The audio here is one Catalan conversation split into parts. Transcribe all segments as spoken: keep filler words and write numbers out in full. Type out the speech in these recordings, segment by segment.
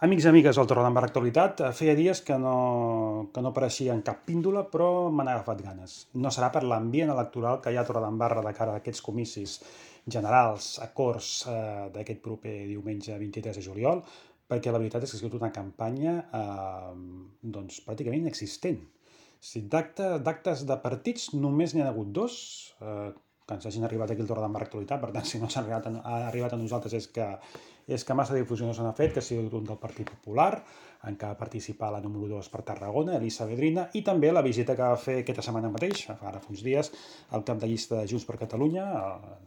Amics i amigues del Torredembarra Actualitat, eh, feia dies que no, que no apareixia en cap píndola, però me n'ha agafat ganes. No serà per l'ambient electoral que hi ha a Torredembarra de cara a aquests comicis generals a Corts eh, d'aquest proper diumenge vint-i-tres de juliol, perquè la veritat és que ha sigut una campanya eh, doncs, pràcticament inexistent. Si d'acte- d'actes de partits només n'hi ha hagut dos, eh, que ens hagin arribat aquí al Torredembarra Actualitat, per tant, si no s'ha arribat, a, ha arribat a nosaltres és que és que massa difusió no se n'ha fet, que ha sigut un del Partit Popular, en què va participar la número dos per Tarragona, Elisa Vedrina, i també la visita que va fer aquesta setmana mateix, ara fa uns dies, al cap de llista de Junts per Catalunya,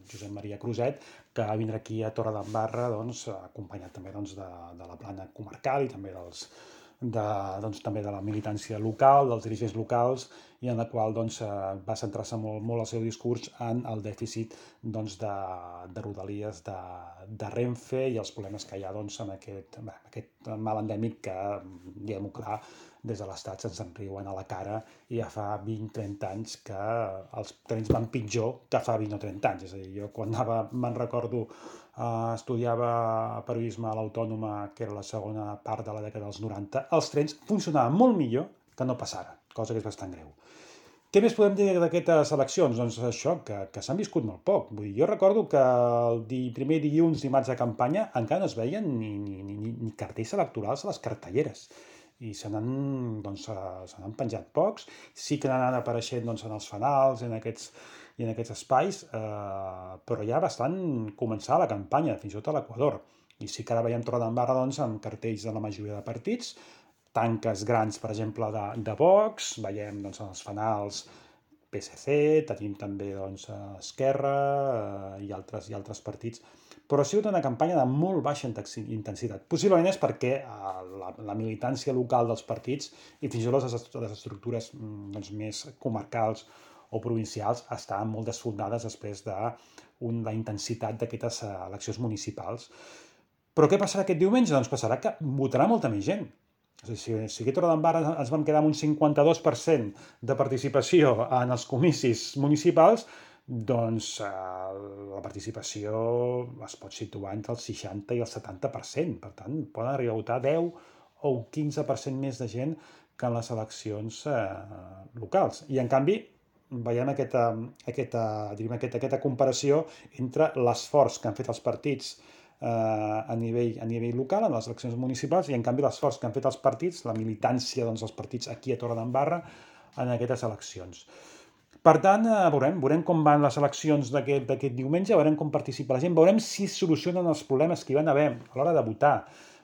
Josep Maria Cruzet, que va vindre aquí a Torredembarra, doncs, acompanyat també doncs, de, de la plana comarcal i també dels, de, doncs, també de la militància local, dels dirigents locals, i en la qual doncs, va centrar-se molt, molt el seu discurs en el dèficit doncs, de, de rodalies de, de Renfe i els problemes que hi ha doncs, amb aquest, bé, aquest mal endèmic que, diguem-ho clar, des de l'Estat se'ns en riuen a la cara i ja fa vint a trenta anys que els trens van pitjor que fa vint o trenta anys. És a dir, jo quan anava, me'n recordo, Uh, estudiava periodisme a l'Autònoma, que era la segona part de la dècada dels noranta, els trens funcionaven molt millor que no pas ara, cosa que és bastant greu. Què més podem dir d'aquestes eleccions? Doncs això, que, que s'han viscut molt poc. Vull dir, jo recordo que el di, primer dilluns, dimarts de campanya, encara no es veien ni, ni, ni, ni cartells electorals a les cartelleres. I se n'han doncs, se n'han penjat pocs. Sí que n'han apareixent doncs, en els fanals, en aquests, i en aquests espais, eh, però ja bastant començar la campanya, fins i tot a l'Equador. I sí que ara veiem Torredembarra doncs, amb cartells de la majoria de partits, tanques grans, per exemple, de, de Vox, veiem doncs, els fanals P S C, tenim també doncs, Esquerra eh, i, altres, i altres partits, però ha sigut una campanya de molt baixa intensitat. Possiblement és perquè eh, la, la militància local dels partits i fins i tot les, les estructures doncs, més comarcals o provincials estaven molt desfondades després de un, la intensitat d'aquestes eleccions municipals. Però què passarà aquest diumenge? Doncs passarà que votarà molta més gent. Si, si aquí a Torredembarra ens vam quedar amb un cinquanta-dos per cent de participació en els comicis municipals, doncs eh, la participació es pot situar entre el seixanta i el setanta per cent. Per tant, poden arribar a votar deu o un quinze per cent més de gent que en les eleccions eh, locals. I, en canvi, veiem aquesta, aquesta, diríem, aquesta, aquesta comparació entre l'esforç que han fet els partits eh, a, nivell, a nivell local, en les eleccions municipals, i en canvi l'esforç que han fet els partits, la militància dels doncs, partits aquí a Torredembarra, en aquestes eleccions. Per tant, eh, veurem, veurem com van les eleccions d'aquest diumenge, veurem com participa la gent, veurem si solucionen els problemes que hi van haver a l'hora de votar,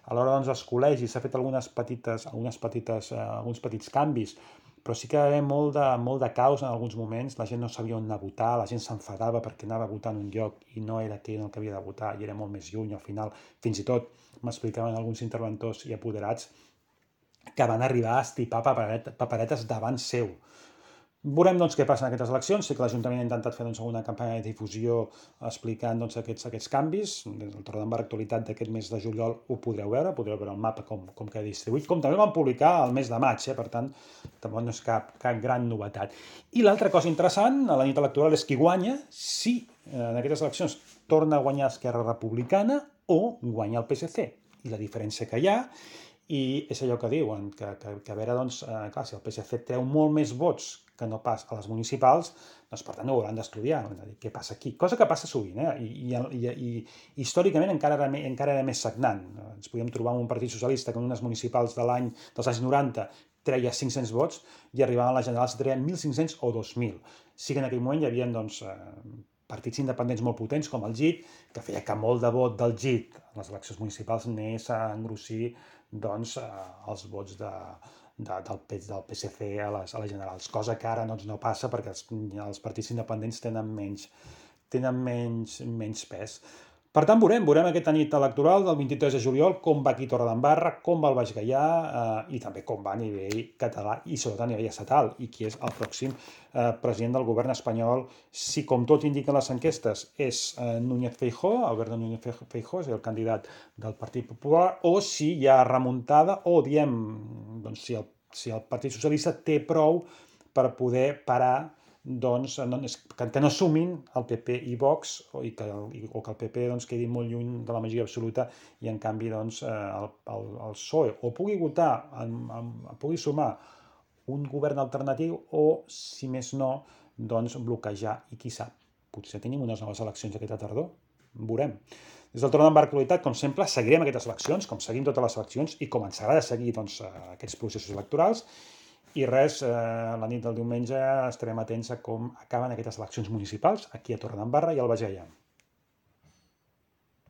a l'hora doncs, dels col·legis, s'ha fet algunes petites, algunes petites, eh, alguns petits canvis, però sí que hi va haver molt de, molt de caos en alguns moments, la gent no sabia on anar a votar, la gent s'enfadava perquè anava a votar en un lloc i no era aquell en el que havia de votar i era molt més lluny. Al final, fins i tot, m'explicaven alguns interventors i apoderats que van arribar a estipar paperetes, paperetes davant seu. Veurem doncs, què passa en aquestes eleccions. Sé que l'Ajuntament ha intentat fer doncs, alguna campanya de difusió explicant doncs, aquests, aquests canvis. Des del Torredembarra Actualitat d'aquest mes de juliol ho podreu veure, podreu veure el mapa com, com queda distribuït, com també vam publicar el mes de maig, eh? Per tant, tampoc no és cap, cap gran novetat. I l'altra cosa interessant a la nit electoral és qui guanya si eh, en aquestes eleccions torna a guanyar Esquerra Republicana o guanya el P S C. I la diferència que hi ha, i és allò que diuen, que, que, que a veure, doncs, eh, clar, si el P S C treu molt més vots que no pas a les municipals, doncs per tant ho hauran d'estudiar, què passa aquí. Cosa que passa sovint, eh? I, i, i, i històricament encara era, encara era més sagnant. Ens podíem trobar un partit socialista que en unes municipals de l'any dels anys noranta treia cinc-cents vots i arribaven a les generals i treien mil cinc-cents o dos mil. Sí que en aquell moment hi havia doncs, eh, partits independents molt potents com el G I T, que feia que molt de vot del G I T en les eleccions municipals anés a engrossir doncs, eh, els vots de, de, del, del P S C a les, a les generals, cosa que ara doncs, no passa perquè els, els partits independents tenen menys, tenen menys, menys pes. Per tant, veurem, veurem aquesta nit electoral del vint-i-tres de juliol com va aquí Torredembarra, com va el Baix Gaià eh, i també com va a nivell català i sobretot a nivell estatal i qui és el pròxim eh, president del govern espanyol. Si, com tot indiquen les enquestes, és eh, Núñez Feijóo, Alberto Núñez Feijóo, és el candidat del Partit Popular, o si hi ha remuntada o, diem, doncs, si el, si el Partit Socialista té prou per poder parar doncs, no, que, que no sumin el P P i Vox, o, i que, o que el P P doncs, quedi molt lluny de la majoria absoluta i en canvi doncs, el, el, el P S O E o pugui votar, en, en, pugui sumar un govern alternatiu o, si més no, doncs bloquejar i qui sap, potser tenim unes noves eleccions aquesta tardor, veurem. Des del Torn d'en Bar Actualitat, com sempre, seguirem aquestes eleccions, com seguim totes les eleccions i com ens agrada seguir doncs, aquests processos electorals. I res, eh, la nit del diumenge estarem atents a com acaben aquestes eleccions municipals aquí a Torredembarra i al Baix Gaià.